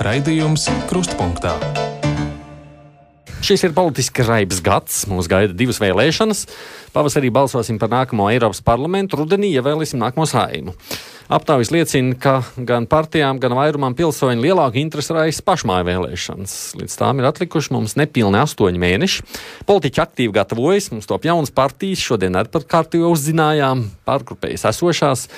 Raidījums Krustpunktā. Šis ir politiski raibs gads. Mūs gaida divas vēlēšanas. Pavasarī balsosim par nākamo Eiropas parlamentu, rudenī ievēlēsim nākamo Saeimu. Aptaujas liecina, ka gan partijām, gan vairumam pilsoņu lielāku interesi raisa pašmāju vēlēšanas. Līdz tām ir atlikuši mums nepilni 8 mēneši. Politiķi aktīvi gatavojas, mums top jaunas partijas, šodien arī par kārtību uzzinājām, pārgrupējas esošās.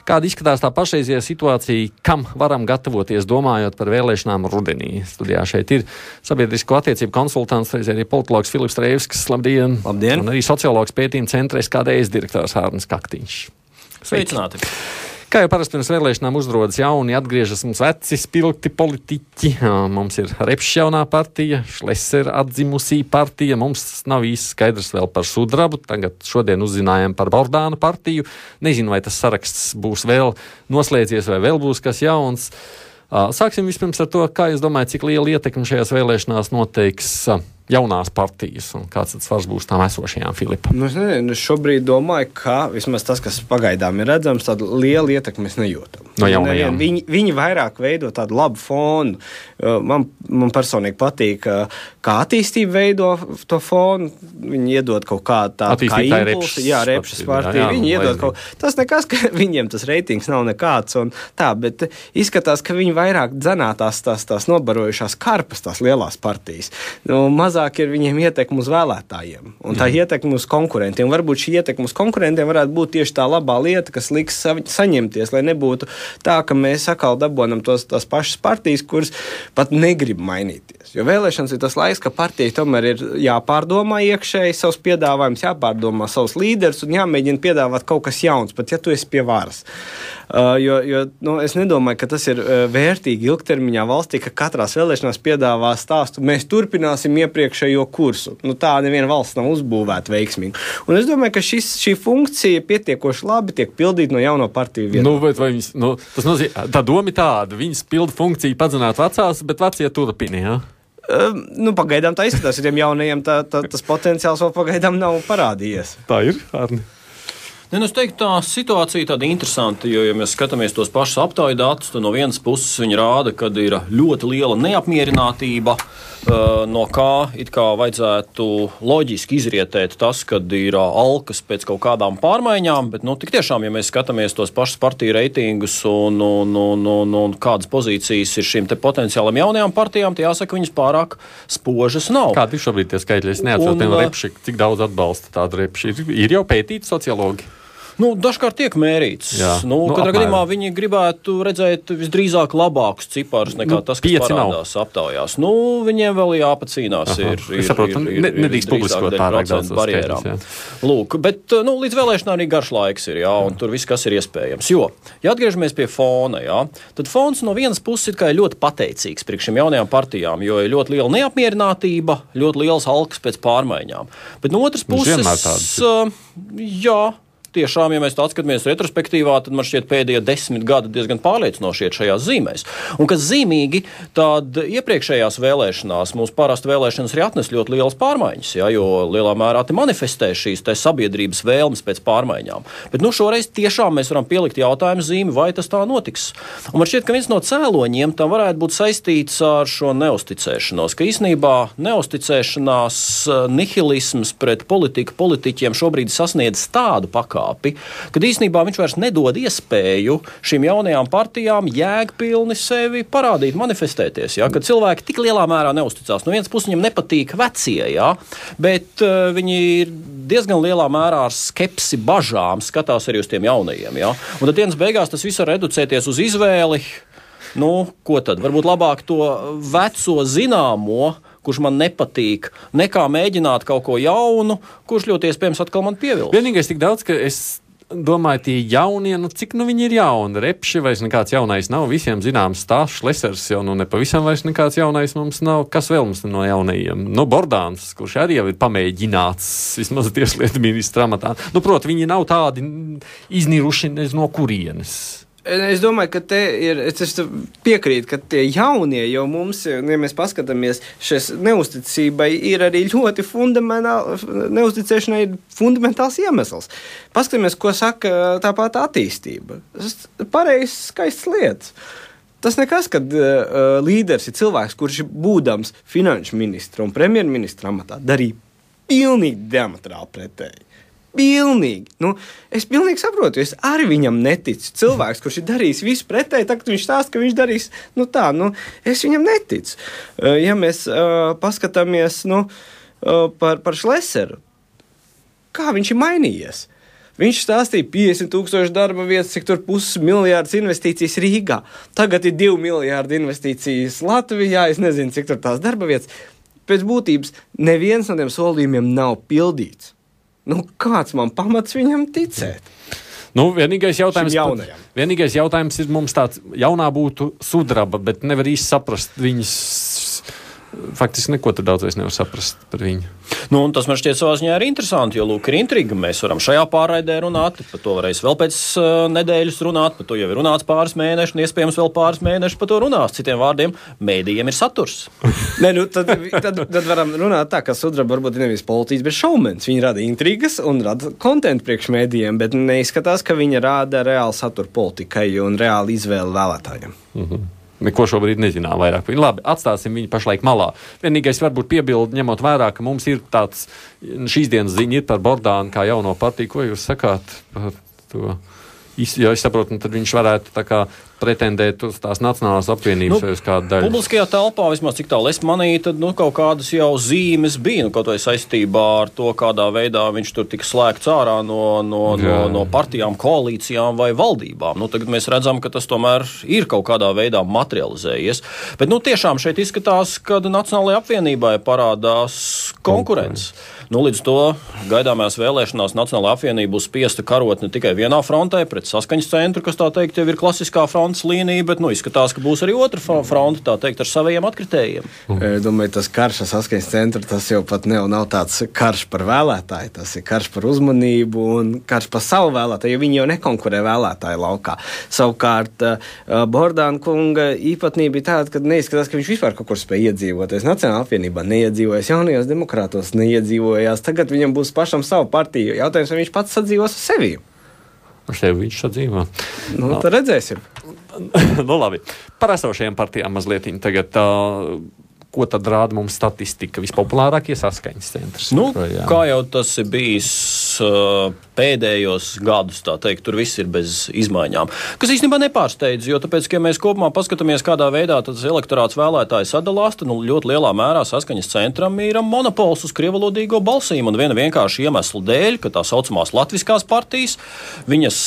Kāda izskatās tā pašreizējā situācija, kam varam gatavoties, domājot par vēlēšanām rudenī? Studijā šeit ir sabiedrisko attiecību konsultants, arī politologs Filips Trēvskis. Labdien! Labdien! Un arī sociologs pētījuma centra SKDS direktors Hārnis Kaktiņš. Sveicināti! Kā jau parasti pirms vēlēšanām uzrodas jauni, atgriežas mums veci spilgti politiķi. Mums ir Repšs jaunā partija, Šleser atdzimusī partija. Mums nav īsti skaidrs vēl par Sudrabu. Tagad šodien uzzinājām par Bordānu partiju. Nezinu, vai tas saraksts būs vēl noslēdzies vai vēl būs kas jauns. Sāksim vispirms ar to, kā jūs domājat, cik liela ietekme šajās vēlēšanās noteiks jaunās partijas un kāds tas svars būs tām esošajām, Filipa? Es nezinu, šobrīd domāju, ka vismaz tas, kas pagaidām ir redzams, tādu lielu ietekmi mēs nejūtam. No jaunajām. Viņi vairāk veido tādu labu fonu. Man personīgi patīk, kā attīstība veido to fonu. Viņi iedod kaut kādu tādu kā impulsu. Jā, Repšas partija. Viņi iedod kaut tas nekas, ka viņiem tas reitings nav nekāds un tā, bet izskatās, ka viņi vairāk dzenātās tās nobarojušās karpas, tās lielās partijas. Mazāk ir viņiem ietekme uz vēlētājiem un tā ietekme uz konkurentiem. Varbūt šī ietekme uz konkurentiem varētu būt tieši tā labā lieta, kas liks saņemties, lai nebūtu tā, ka mēs atkal dabonam tās pašas partijas, kuras pat negrib mainīties. Jo vēlēšanas ir tas laiks, ka partijai tomēr ir jāpārdomā iekšēji savus piedāvājumus, jāpārdomā savus līderus un jāmēģina piedāvāt kaut kas jauns, pat ja tu esi pie varas. Es nedomāju, ka tas ir vērtīgi ilgtermiņā valstī, ka katrās vēlēšanās piedāvā stāstu. Mēs turpināsim iepriekšējo kursu. Tā neviena valsts nav uzbūvēta veiksmīgi. Un es domāju, ka šī funkcija pietiekoši labi tiek pildīta no jauno partiju vietā. Tas nozīmē, tā doma ir tāda, viņas pilda funkciju padzināt vecās, bet vecie turpina, jā? Pagaidām tā izskatās, ja tiem jaunajiem tas potenciāls vēl pagaidām nav parādījies. Tā ir, Arni. Es teiktu, tā situācija tāda interesanta, jo, ja mēs skatāmies tos pašus aptauju datus, tad no vienas puses viņi rāda, ka ir ļoti liela neapmierinātība, no kā it kā vajadzētu loģiski izrietēt tas, kad ir alkas pēc kaut kādām pārmaiņām, bet, tik tiešām, ja mēs skatāmies tos pašus partiju reitingus un kādas pozīcijas ir šīm te potenciālam jaunajām partijām, tie jāsaka, viņas pārāk spožas nav. Kādi ir šobrīd tie skaitļi? Es neatceros, piemēram, Repši, cik daudz atbalsta tādu Repši. Ir jau pētīti sociologi? Dažkārt tiek mērīts. Katrā gadījumā viņi gribētu redzēt visdrīzāk labākus ciparus nekā tas, kas parādās aptaujās. Viņiem vēl jāpacīnās. Es saprotu, nedrīkst publiskot pārāk daudz barjerām. Bet līdz vēlēšanām arī garš laiks ir, un tur viss, kas ir iespējams. Jo, ja atgriežamies pie fona, tad fons no vienas puses ir ļoti pateicīgs priekš šīm jaunajām partijām, jo ir ļoti liela neapmierinātība, ļoti liels alkas pēc pārmaiņām. Bet no otras puses, tiešām, ja mēs tā atskatāmies retrospektīvā, tad man šķiet pēdējie 10 gadi diezgan pārliecinoši iet šajās zīmēs. Un kas zīmīgi, tad iepriekšējās vēlēšanās mums parasti vēlēšanas arī atnes ļoti lielas pārmaiņas, jo lielā mērā te manifestē šīs te sabiedrības vēlmes pēc pārmaiņām. Bet šoreiz tiešām mēs varam pielikt jautājumu zīmi, vai tas tā notiks. Un man šķiet, ka viens no cēloņiem tam varētu būt saistīts ar šo neusticēšanos, ka īsnībā neusticēšanās, nihilisms pret politiķiem šobrīd sasniedz tādu pakāpi, kad īstenībā viņš vairs nedod iespēju šīm jaunajām partijām jēgpilni sevi parādīt, manifestēties, kad cilvēki tik lielā mērā neusticās. No vienas puses viņiem nepatīk vecie, bet viņi ir diezgan lielā mērā ar skepsi, bažām skatās arī uz tiem jaunajiem. Un tad dienas beigās tas viss var reducēties uz izvēli. Ko tad? Varbūt labāk to veco zināmo, kurš man nepatīk, nekā mēģināt kaut ko jaunu, kurš ļoti iespējams atkal man pievilks. Vienīgais tik daudz, ka es domāju, tie jaunie, cik viņi ir jauni. Repši vairs nekāds jaunais nav, visiem zināms stāsts, Šlesers jau nepavisam vairs nekāds jaunais mums nav. Kas vēl mums no jaunajiem? Bordāns, kurš arī jau ir pamēģināts vismaz tieslietu ministra amatā. Proti, viņi nav tādi izniruši no kurienes. Es domāju, ka te ir, es piekrītu, ka tie jaunie jau mums, ja mēs paskatāmies, šis neusticībai ir arī ļoti neusticēšanai ir fundamentāls iemesls. Paskatāmies, ko saka tāpat attīstība. Pareizs, skaists lietas. Tas nekas, kad līderis ir cilvēks, kurš būdams finanšu ministra un premjerministra amatā darīja pilnīgi diametrāli pretēji. Pilnīgi. Es pilnīgi saprotu, es arī viņam neticu. Cilvēks, kurš ir darījis visu pretēji, tagad viņš stāsta, ka viņš darīs es viņam neticu. Ja mēs paskatāmies par Šleseru, kā viņš ir mainījies? Viņš stāstīja 50,000 darba vietas, cik tur 500 miljārdus investīcijas Rīgā. Tagad ir 2 miljārdi investīcijas Latvijā, es nezinu, cik tur tās darba vietas. Pēc būtības neviens no tiem solījumiem nav pildīts. Kāds man pamats viņam ticēt? Vienīgais jautājums ir mums tāds jaunā būtu sudraba, bet nevar īsti saprast viņas. Faktiski neko tur daudz vairs nevar saprast par viņu. Un tas man šķiet savā ziņā ir interesanti, jo, lūk, ir intriga. Mēs varam šajā pārraidē runāt, par to varēs vēl pēc nedēļas runāt, par to jau ir runāts pāris mēneši, un iespējams vēl pāris mēneši par to runās. Citiem vārdiem, mēdījiem ir saturs. Tad varam runāt tā, ka sudraba varbūt ir nevis politiķis, bet šoumens. Viņi rada intrigas un rada kontentu priekš mēdījiem, bet neizskatās, ka viņi rada reāli saturu politikai un reāli izvēli vēlētājiem. Neko šobrīd nezinām vairāk. Labi, atstāsim viņu pašlaik malā. Vienīgais varbūt piebildi, ņemot vērā, ka mums ir tāds šīs dienas ziņa ir par Bordānu kā jauno partiju. Ko jūs sakāt par to? Ja es saprotu, tad viņš varētu tā kā pretendēt uz tās Nacionālās apvienības vai uz kādu daļu. Publiskajā telpā, vismaz cik tālu es manīju, tad kaut kādas jau zīmes bija, kaut vai saistībā ar to, kādā veidā viņš tur tika slēgts ārā no partijām, koalīcijām vai valdībām. Tagad mēs redzam, ka tas tomēr ir kaut kādā veidā materializējies. Bet tiešām šeit izskatās, ka Nacionālajai apvienībai parādās konkurence. Līdz to gaidāmās vēlēšanās Nacionālajā apvienība būs spiesta karot ne tikai vienā frontē pret Saskaņas centru, kas tā teikt jau ir klasiskā frontes līnija, bet izskatās, ka būs arī otra fronte, tā teikt, ar saviem atkritējiem. Domāju, tas karš ar Saskaņas centru, tas jau pat nav tāds karš par vēlētāju, tas ir karš par uzmanību un karš par savu vēlētāju, jo viņi jau nekonkurē vēlētāju laukā. Savukārt Bordāna kunga īpatnība ir tāda, ka neizskatās, ka viņš vispār kaut kur spēj iedzīvoties. Nacionālajā apvienībā neiedzīvojas, jaunajos demokrātos neiedzīvojas. Tagad viņam būs pašam savu partiju. Jautājums, vai viņš pats sadzīvos ar sevi? Ar sevi viņš sadzīvo. Tad redzēsim. Labi. Par esošajām partijām mazliet tagad. Ko tad rāda mums statistika? Vispopulārākie Saskaņas centrs. Kā jau tas ir bijis pēdējos gadus, tā teikt, tur viss ir bez izmaiņām. Kas īstenībā nepārsteidz, jo tāpēc, ka mēs kopumā paskatāmies, kādā veidā tas elektorāts vēlētāji sadalās, tad ļoti lielā mērā Saskaņas centram ir monopols uz krievalodīgo balsīm un viena vienkārši iemesla dēļ, ka tā saucamās latviskās partijas, viņas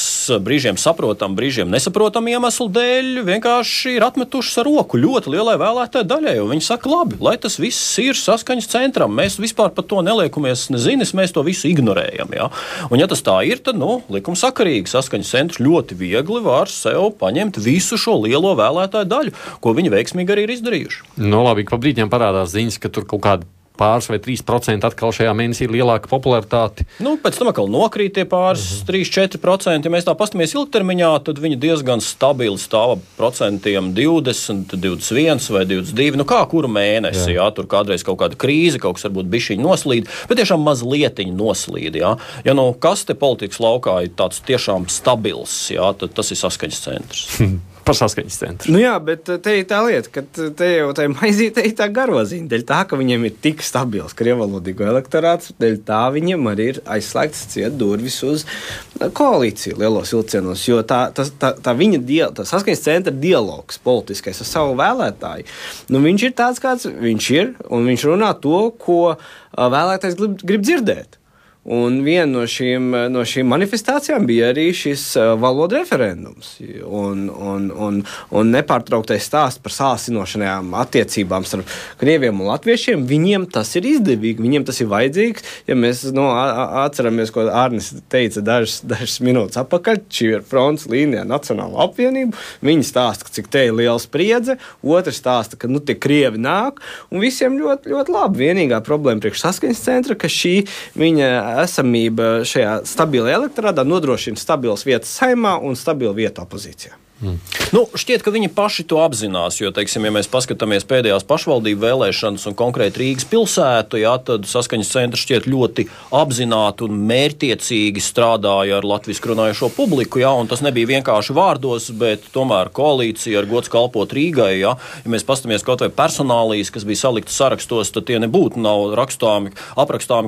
brīžiem saprotam, brīžiem nesaprotam iemeslu dēļ, vienkārši ir atmetušas ar roku ļoti lielai vēlētāju daļai, un viņi saka, labi, lai tas viss ir Saskaņas centram, mēs vispār par to neliekumies nezinis, mēs to visu ignorējam. Ja? Un ja tas tā ir, tad, likumsakarīgi Saskaņas centrs ļoti viegli var sev paņemt visu šo lielo vēlētāju daļu, ko viņi veiksmīgi arī ir izdarījuši. Labi, ka pa brīdiem parādās ziņas, ka tur kaut kādi pāris vai 3% atkal šajā mēnesī ir lielāka popularitāte. Pēc tam atkal nokrīt tie pāris 3-4%. Ja mēs tā pastamies ilgtermiņā, tad viņi diezgan stabili stāva procentiem 20, 21 vai 22. Kā kuru mēnesi, jā, tur kādreiz kaut kāda krīze, kaut kas varbūt bišķiņi noslīd, bet tiešām mazlietiņi noslīd, jā. Ja kas te politikas laukā ir tāds tiešām stabils, jā, tad tas ir Saskaņas centrs. Par Saskaņas centru. Jā, bet te ir tā lieta, ka te jau tā maizīte ir tā garoziņa. Dēļ tā, ka viņiem ir tik stabils krievalodīgo elektorāts, dēļ tā viņiem arī ir aizslēgts ciet durvis uz koalīciju lielos vilcienos, jo tā Saskaņas centra dialogs politiskais ar savu vēlētāju, viņš ir tāds, kāds viņš ir, un viņš runā to, ko vēlētājs grib dzirdēt. Un viena no šīm manifestācijām bija arī šis valodu referendums un nepārtrauktais stāsts par sāsinošanajām attiecībām starp krieviem un latviešiem. Viņiem tas ir izdevīgi, viņiem tas ir vajadzīgs. Ja mēs atceramies, ko Arnis teica dažas minūtes atpakaļ, šī ir fronts līnijā Nacionālo apvienību. Viņi stāsta, cik te ir liela spriedze, otrs stāsta, ka tie krievi nāk, un visiem ļoti, ļoti labi. Vienīgā problēma priekš Saskaņas centra, ka šī viņa esamība šajā stabilajā elektorātā nodrošina stabilas vietas Saeimā un stabilu vietu opozīcijā. Nu, šķiet, ka viņi paši to apzinās, jo, teiksim, ja mēs paskatāmies pēdējās pašvaldību vēlēšanas un konkrēti Rīgas pilsētu, jā, tad saskaņas centrs šķiet ļoti apzināti un mērķtiecīgi strādāja ar latviski runājošo publiku, jā, un tas nebija vienkārši vārdos, bet tomēr koalīcija ar gods kalpot Rīgai, jā. Ja mēs paskatāmies kaut vai personālijas, kas bija saliktas sarakstos, tad tie nebūtu nav aprakstāmi,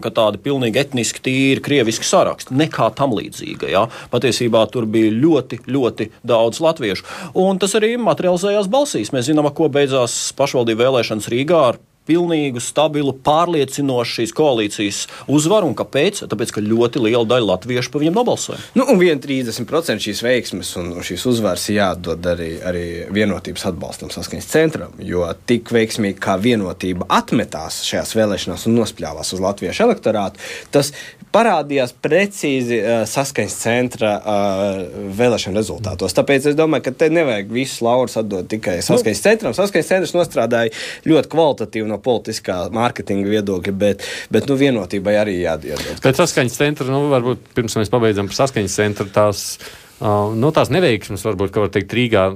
ka tādi pilnīgi etniski tīri krieviski saraksti, nekā tam līdzīga, jā. Patiesībā tur bija ļoti, ļoti daudz latviešu. Un tas arī materializējās balsīs. Mēs zinām, ko beidzās pašvaldību vēlēšanas Rīgā ar pilnīgu, stabilu, pārliecinošu šīs koalīcijas uzvaru. Un kāpēc? Tāpēc, ka ļoti liela daļa latviešu par viņiem nobalsoja. Nu, un 30% šīs veiksmes un šīs uzvaras jādod arī vienotības atbalstam saskaņas centram, jo tik veiksmīgi kā vienotība atmetās šajās vēlēšanās un nospļāvās uz latviešu elektorātu, tas parādījās precīzi saskaņas centra vēlēšana rezultātos. Tāpēc es domāju, ka te nevajag visus laurus atdot tikai saskaņas centram. Saskaņas centrs nostrādāja ļoti kvalitatīvi no politiskā mārketinga viedokļa, bet vienotībai arī jādod. Pēc saskaņas centra, varbūt pirms mēs pabeidzam par saskaņas centru, tās neveiksmes, varbūt, ka var teikt Rīgā,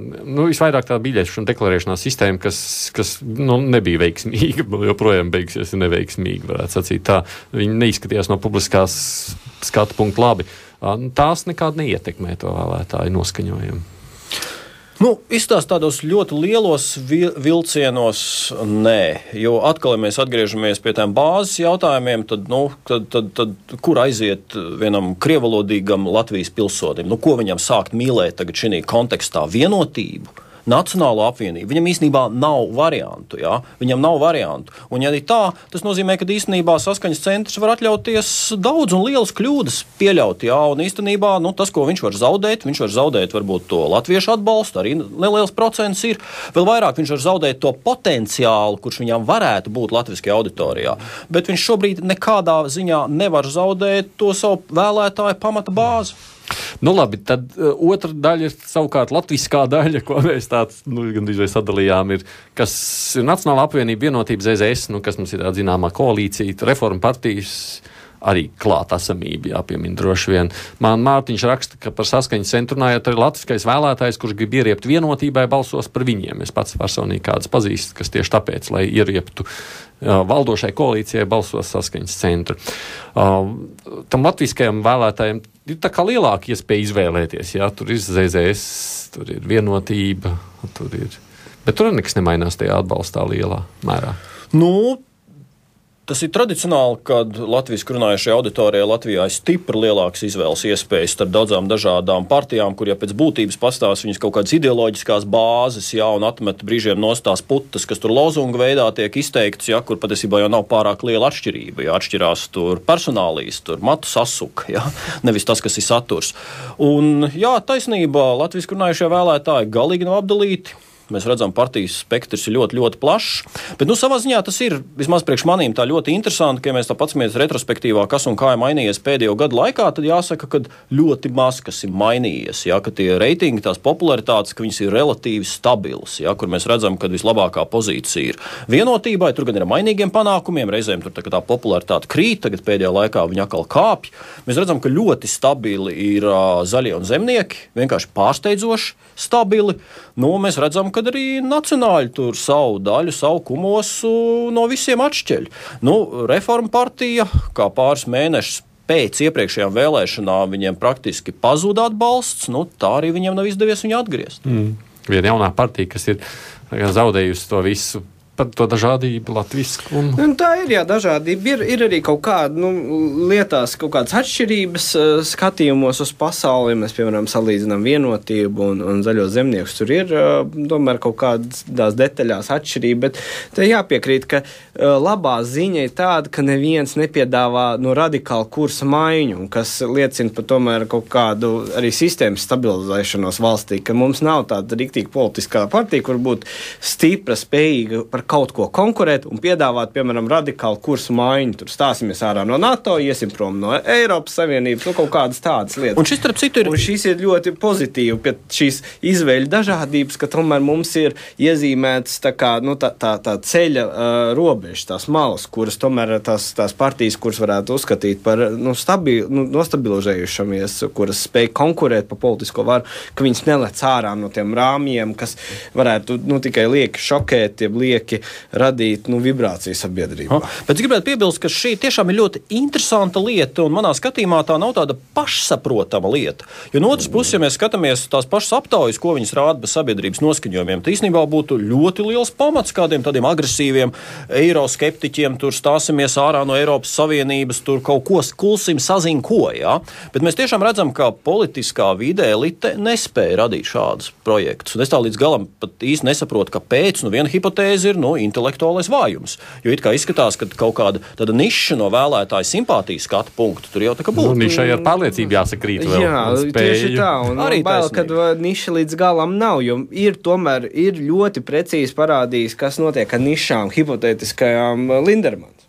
visvairāk tā biļešu un deklarēšanās sistēma, kas nebija veiksmīga, joprojām beigsies neveiksmīgi, varētu sacīt tā. Viņi neizskatījās no publiskās skatu punktu labi. Tās nekādi neietekmē to vēlētāju noskaņojumu. Izstāst tādos ļoti lielos vilcienos, nē, jo atkal, ja mēs atgriežamies pie tām bāzes jautājumiem, tad kur aiziet vienam krievalodīgam Latvijas pilsonim? Ko viņam sākt mīlēt tagad šī kontekstā? Vienotību? Nacionālo apvienību. Viņam īstenībā nav variantu, jā? Viņam nav variantu. Un ja arī tā, tas nozīmē, ka īstenībā saskaņas centrs var atļauties daudz un lielas kļūdas pieļaut, jā? Un īstenībā, tas, ko viņš var zaudēt varbūt to latviešu atbalstu, arī neliels procents ir. Vēl vairāk viņš var zaudēt to potenciālu, kurš viņam varētu būt latviskajā auditorijā. Bet viņš šobrīd nekādā ziņā nevar zaudēt to savu vēlētāju pamata bāzi. Labi, tad otra daļa ir savukārt latviskā daļa, ko mēs gandrīz sadalījām, kas ir Nacionālā apvienība vienotības ZZS, kas mums ir tāda zināmā koalīcija, reforma partijas arī klātesamība, jāpiemina droši vien. Man Mārtiņš raksta, ka par saskaņas centru runājot arī latviskais vēlētājs, kurš grib ieriept vienotībai, balsos par viņiem. Es pats personīgi kādus pazīstu, kas tieši tāpēc, lai ierieptu valdošai koalīcijai, balsos saskaņas centru. Tam latviskajam vēlētājiem ir tā kā lielāka iespēja izvēlēties, jā, tur ir ZZS, tur ir vienotība, bet tur nekas nemainās tajā atbalstā lielā mērā. Tas ir tradicionāli, kad latviski runājušajā auditorijā Latvijā ir stipri lielākas izvēles iespējas starp daudzām dažādām partijām, kur, ja pēc būtības pastāv viņas kaut kādas ideoloģiskās bāzes, jā, un atmet brīžiem nostās putas, kas tur lozunga veidā tiek izteikts, jā, kur patiesībā jau nav pārāk liela atšķirība, jā, atšķirās tur personālijas, tur matu sasuka, jā, nevis tas, kas ir saturs. Un, jā, taisnība, latviski runājušie vēlētāji galīgi nav apdalīti. Mēs redzam, partijas spektrs ir ļoti, ļoti plašs. Bet, savā ziņā tas ir, vismaz priekš manīm, tā ļoti interesanti, ka ja mēs tā paskatāmies retrospektīvā, kas un kā ir mainījies pēdējo gadu laikā, tad jāsaka, ka ļoti maz kas ir mainījies. Jā, ka tie reitingi, tās popularitātes, ka viņas ir relatīvi stabilas, jā, kur mēs redzam, ka vislabākā pozīcija ir vienotībai, tur gan ir mainīgiem panākumiem, reizēm tur tā popularitāte krīt, tagad pēdējā laikā viņa atkal kāpj. Mēs redzam, ka ļoti stabili ir zaļie un zemnieki, vienkārši pārsteidzoši stabili. Mēs redzam, ka arī nacionāļi tur savu daļu, savu kumosu no visiem atšķeļ. Reforma partija, kā pāris mēnešus pēc iepriekšējām vēlēšanām viņiem praktiski pazuda atbalsts, tā arī viņiem nav izdevies viņu atgriezt. Viena jaunā partija, kas ir zaudējusi to visu, par to dažādību latviskumu. Tā ir, jā, dažādība. Ir arī kaut kāda, lietās, kaut kādas atšķirības skatījumos uz pasauli. Mēs, piemēram, salīdzinām vienotību un zaļo zemniekus. Tur ir, tomēr, kaut kādās detaļās atšķirība, bet te jāpiekrīt, ka labā ziņa ir tāda, ka neviens nepiedāvā radikālu kursa maiņu, kas liecina par tomēr kaut kādu arī sistēmas stabilizēšanos valstī, ka mums nav tāda riktīgi politiskā partija, kur būtu stipra, spējīga par kaut ko konkurēt un piedāvāt, piemēram, radikālu kursu maiņu. Tur stāsimies ārā no NATO, iesim prom no Eiropas Savienības, kaut kādas tādas lietas. Un šis, starp citu, un šis ir ļoti pozitīvi, pie šīs izvēļu dažādības, ka tomēr mums ir iezīmētas tā ceļa robežas, tās malas, kuras tomēr tās partijas, kuras varētu uzskatīt par nostabilizējušamies, kuras spēj konkurēt pa politisko varu, ka viņas nelec ārā no tiem rāmjiem, kas varētu tikai lieki šokēt, lieki radīt vibrāciju sabiedrībā. Bet es gribētu piebilst, ka šī tiešām ir ļoti interesanta lieta, un manā skatījumā tā nav tāda pašsaprotama lieta. Jo no otras puses, ja mēs skatāmies tās pašas aptaujas, ko viņas rāda bez sabiedrības noskaņojumiem, tā īstenībā būtu ļoti liels pamats kādiem tādiem agresīviem eiroskeptiķiem, tur stāsimies ārā no Eiropas Savienības, tur kaut ko kulsim sazin ko, jā. Bet mēs tiešām redzam, ka politiskā vide elite nespēja radīt šādus projektus. Un es tā līdz galam pat īsti nesaprotu, kāpēc. Viena hipotēze ir intelektuālais vājums. Jo it kā izskatās, ka kaut kāda tāda niša no vēlētāja simpātijas skatu punktu tur jau tā kā būtu. Nišai ar pārliecību jāsakrīt vēl. Jā, tieši tā. Un arī bail, kad niša līdz galam nav, jo tomēr ir ļoti precīzi parādījis, kas notiek ar nišām hipotētiskajām Lindermans.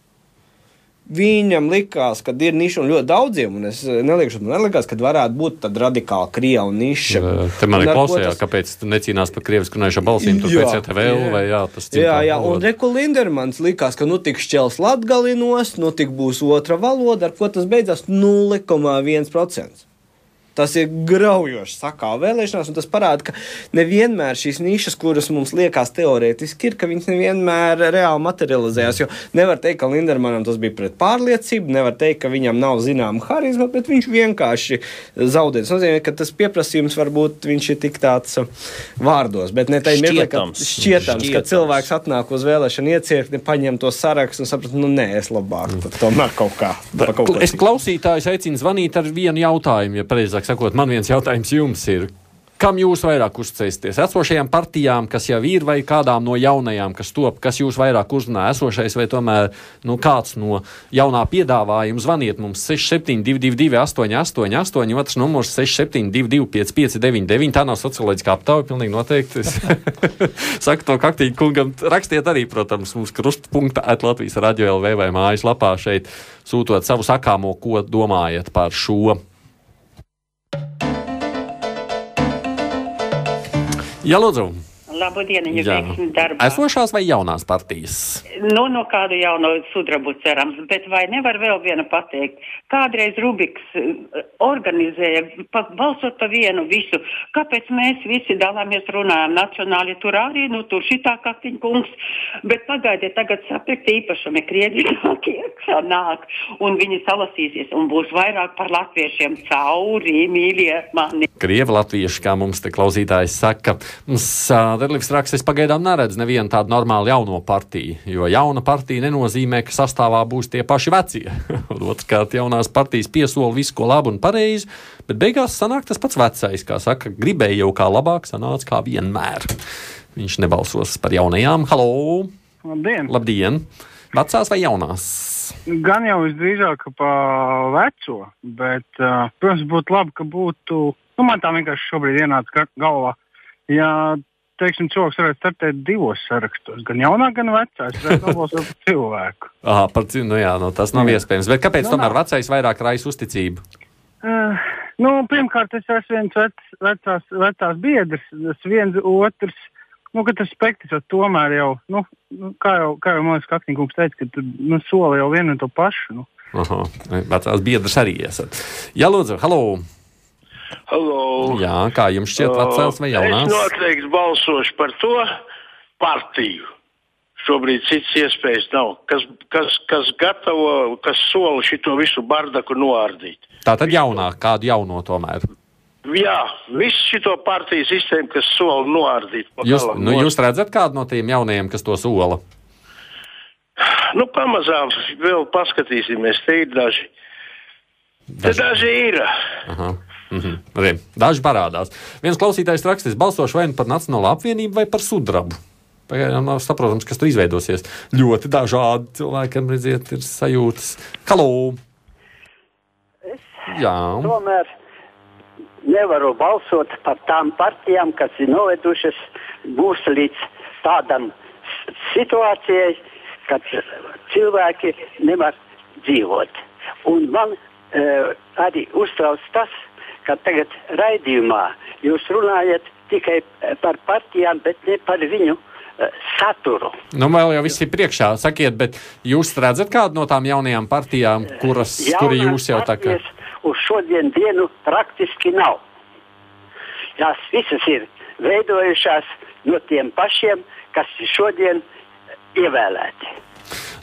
Viņam likās, ka ir niša un ļoti daudziem, un es nelikās, ka varētu būt tāda radikāla Krievu niša. Te man ir klausējā, kāpēc tu necīnās par krievisku runājušām balsīm, tur pēc ETVL vai tas citā. Jā, un Reku Lindermans likās, ka tik šķels latgalinos, tik būs otra valoda, ar ko tas beidzās 0,1%. Tas ir graujoši sakāva vēlēšanās, un tas parāda, ka nevienmēr šīs nišas, kuras mums liekas teorētiski ir, ka viņas nevienmēr reāli materializējās, jo nevar teikt, ka Lindermanam tas bija pret pārliecību, nevar teikt, ka viņam nav zināma harizma, bet viņš vienkārši zaudē. Tas nozīmē, ka tas pieprasījums varbūt viņš ir tik tāds vārdos, bet ne tai mirklī, ka šķietams, ka cilvēks atnāk uz vēlēšanu iecirkni, paņem to sarakstu un saprat, nē, es labāk, tad tomēr kaut kā. Es klausītājus aicinu zvanīt ar vienu jautājumu, ja pareizāk sakot, man viens jautājums jums ir, kam jūs vairāk uzticēsieties? Esošajām partijām, kas jau ir, vai kādām no jaunajām, kas top, kas jūs vairāk uzrunā esošais, vai tomēr kāds no jaunā piedāvājuma? Zvaniet mums 6722 888, otrs numurs 6722 559. Tā nav socioloģiskā aptauja, pilnīgi noteikti. Saku to Kaktīgi kungam, rakstiet arī, protams, mums krustpunktā@Latvijas Radio LV vai mājaslapā šeit, sūtot savu sakāmo, ko domājat par šo. Jā, lūdzu. Labdien, veiksmi darbā. Esošās vai jaunās partijas? No kādu jauno sudrabu cerams, bet vai nevar vēl vienu pateikt? Kādreiz Rubiks organizēja, balsot pa vienu visu. Kāpēc mēs visi dalāmies runājam nacionāli? Tur arī, tur šitā Kaktiņa kungs, bet pagaidiet, tagad sapirkt īpašumi Krievi iekšā nāk, un viņi salasīsies, un būs vairāk par latviešiem cauri, mīļie mani. Krievi latvieši, kā mums te klausītājs saka. Mums Derlivs raksts, es pagaidām neredzu nevienu tādu normālu jauno partiju, jo jauna partija nenozīmē, ka sastāvā būs tie paši vecie. Otrkārt, jaunās partijas piesola visu, ko labu un pareizi, bet beigās sanāk tas pats vecais, kā saka, gribēja jau kā labāk, sanāca kā vienmēr. Viņš nebalsos par jaunajām. Halo! Labdien! Labdien! Vecās vai jaunās? Gan jau visdrīzāk pa veco, bet, protams, būtu labi, ka būtu, man tā vienkārši šobrīd ienāca galvā, ja, teiksim, cilvēks varētu startēt divos sarakstos, gan jaunā, gan vecā, es varētu nobalsot par cilvēku. Tas nav iespējams, bet kāpēc tomēr vecais vairāk raisa uzticību? Pirmkārt, es esmu viens vecās biedrs, tas viens otrs, ka tas spektrs tomēr jau, kā jau man Kaktiņa kungs teica, ka tu sola jau vienu un to pašu. Vecās biedrs arī esat. Jā, lūdzu, halo! Halo! Jā, kā jums šķiet vecās vai jaunās? Es noteikti balsošu par to partiju. Šobrīd cits iespējas nav. Kas gatavo, kas sola šito visu bardaku noārdīt. Tātad jaunā, kādu jauno tomēr? Jā, visu šito partiju sistēmu, kas sola noārdīt. Jūs redzat kādu no tiem jaunajiem, kas to sola? Pamazām vēl paskatīsimies. Te ir daži. Daži ir. Aha. Daži parādās. Viens klausītājs rakstīs, balsošu vai par Nacionālo apvienību vai par sudrabu. Pagaidām nav saprotams, kas tur izveidosies. Ļoti dažādi cilvēkiem, redziet, ir sajūtas. Halo! Jā. Tomēr nevaru balsot par tām partijām, kas ir novedušas mūs līdz tādam situācijai, kad cilvēki nevar dzīvot. Un man arī uztrauc tas, ka tagad raidījumā jūs runājat tikai par partijām, bet ne par viņu saturu. Nu, vēl jau viss ir priekšā. Sakiet, bet jūs redzat kādu no tām jaunajām partijām, kuri jūs jau tā kā... Uz šodien dienu praktiski nav. Tās visas ir veidojušās no tiem pašiem, kas ir šodien ievēlēti.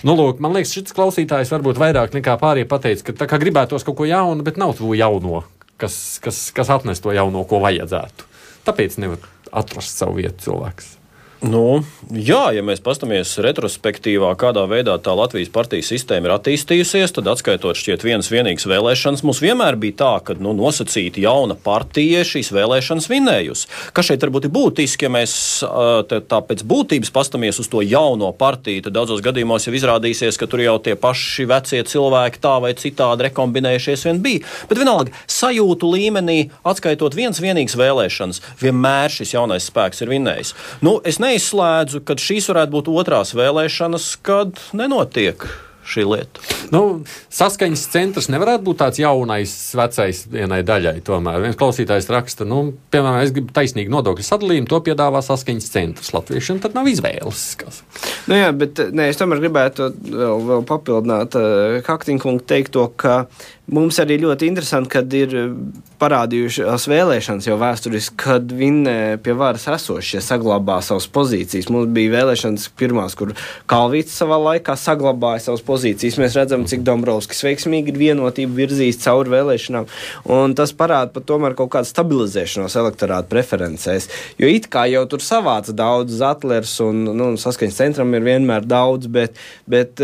Nu, lūk, man liekas, šis klausītājs varbūt vairāk nekā pārējie pateica, ka tā kā gribētos kaut ko jaunu, bet nav to jauno, kas atnes to jauno, ko vajadzētu. Tāpēc nevar atrast savu vietu cilvēks. Nu, jā, ja mēs pastamies retrospektīvā, kādā veidā tā Latvijas partijas sistēma ir attīstījusies, tad atskaitot šķiet vienīgas vēlēšanas, mums vienmēr bija tā, ka nosacīti jauna partija šīs vēlēšanas vinējusi. Kas šeit varbūt ir būtiski, ja mēs tā pēc būtības pastamies uz to jauno partiju, tad daudzos gadījumos jau izrādīsies, ka tur jau tie paši vecie cilvēki tā vai citādi rekombinējušies vien bija. Bet vienalga, sajūtu līmenī, atskaitot vienīgas vēlēšanas, vienmēr šis jaunais spēks ir vinējis. Nu, es neizslēdzu, ka šīs varētu būt otrās vēlēšanas, kad nenotiek šī lieta. Nu, saskaņas centrs nevarētu būt tāds jaunais, vecais vienai daļai tomēr. Viens klausītājs raksta, piemēram, es gribu taisnīgi nodokļu sadalījumu, to piedāvā saskaņas centrs latviešiem, tad nav izvēles. Nu jā, bet es tomēr gribētu vēl papildināt Kaktiņkungu teikto, ka mums arī ļoti interesanti, kad ir parādījušās vēlēšanas jau vēsturiski, kad vinnē pie varas esošie saglabā savas pozīcijas. Mums bija vēlēšanas pirmās, kur Kalvīts savā laikā saglabāja savas pozīcijas. Mēs redzam, cik Dombrovskis veiksmīgi ir vienotību virzījis cauri vēlēšanām, un tas parāda pat tomēr kaut kādu stabilizēšanos elektorāta preferencēs. Jo it kā jau tur savāca daudz Zatlers un saskaņas centram ir vienmēr daudz, bet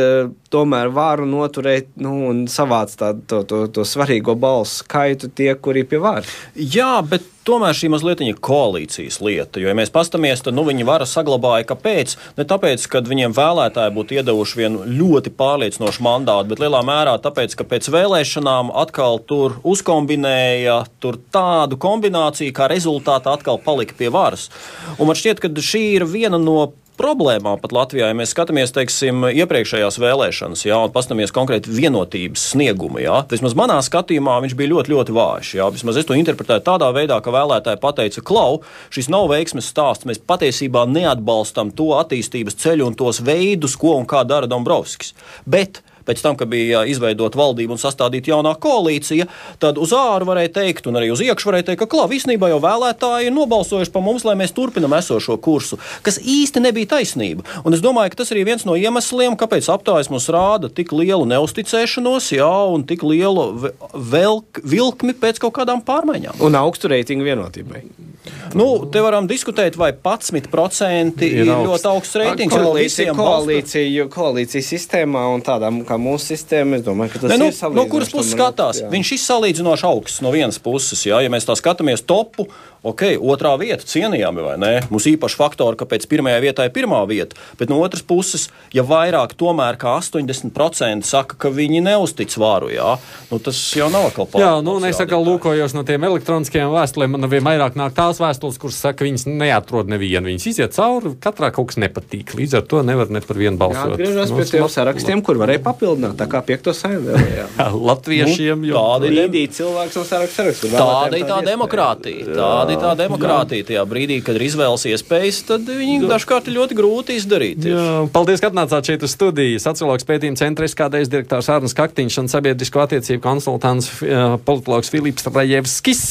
tomēr varu noturēt un savāc to svarīgo balsu skaitu tie, kuri pie varas. Jā, bet tomēr šī mazliet ir koalīcijas lieta, jo, ja mēs pastamies, tad viņi vara saglabāja, kāpēc? Ne tāpēc, ka viņiem vēlētāji būtu iedevuši vienu ļoti pārliecinošu mandātu, bet lielā mērā tāpēc, ka pēc vēlēšanām atkal tur uzkombinēja tādu kombināciju, kā rezultātā atkal palika pie varas. Un man šķiet, ka šī ir viena no problēmām pat Latvijā, ja mēs skatāmies, teiksim, iepriekšējās vēlēšanas, un pastamies konkrēti vienotības sniegumu, vismaz manā skatījumā viņš bija ļoti, ļoti vājš, vismaz es to interpretēju tādā veidā, ka vēlētāji pateica, klau, šis nav veiksmes stāsts, mēs patiesībā neatbalstam to attīstības ceļu un tos veidus, ko un kā dara Dombrovskis. Bet pēc tam, kad bija izveidota valdība un sastādīta jaunā koalīcija, tad uz āru varēja teikt, un arī uz iekšu varēja teikt, ka īstenībā jau vēlētāji ir nobalsojuši par mums, lai mēs turpinam esošo kursu, kas īsti nebija taisnība. Un es domāju, ka tas arī viens no iemesliem, kāpēc aptājas mums rāda tik lielu neusticēšanos, un tik lielu vilkmi pēc kaut kādām pārmaiņām. Un augstu reitingu vienotībai. Te varam diskutēt, vai 11% ir ļoti augsts reitings. Koalīcijas sistēmā un tādām kā mūsu sistēma, es domāju, ka tas ir salīdzinoši. No kuras puses skatās? Viņš ir salīdzinoši augsts no vienas puses, ja mēs tā skatāmies topu, otrā vieta cienījami, vai ne? Mums īpaši faktori, kāpēc pirmajā vietā ir pirmā vieta, bet no otras puses, ja vairāk tomēr kā 80% saka, ka viņi neuztic varu, tas jau nav atkal pārāk. Es atkal lūkojos no tiem elektroniskajiem vēstulēm, man vienmēr nāk tās vēstules, kuras saka, viņas neatrod nevienu, viņas iziet cauri, katrā kaut kas nepatīk, līdz ar to nevar ne par vienu balsot. Atgriežas pie tiem sarakstiem, kur varēja papildināt, tā kā 5. saimē. Latviešiem, cilvēks no sarakstu. Tāda ir tā demokrātija. Tā demokrātija tajā brīdī, kad ir izvēles iespējas, tad viņi dažkārt ir ļoti grūti izdarīt. Paldies, ka atnācāt šeit uz studiju. Sociologs pētījuma centra SKDS direktors Arnis Kaktiņš un sabiedrisko attiecību konsultants politologs Filips Rajevskis.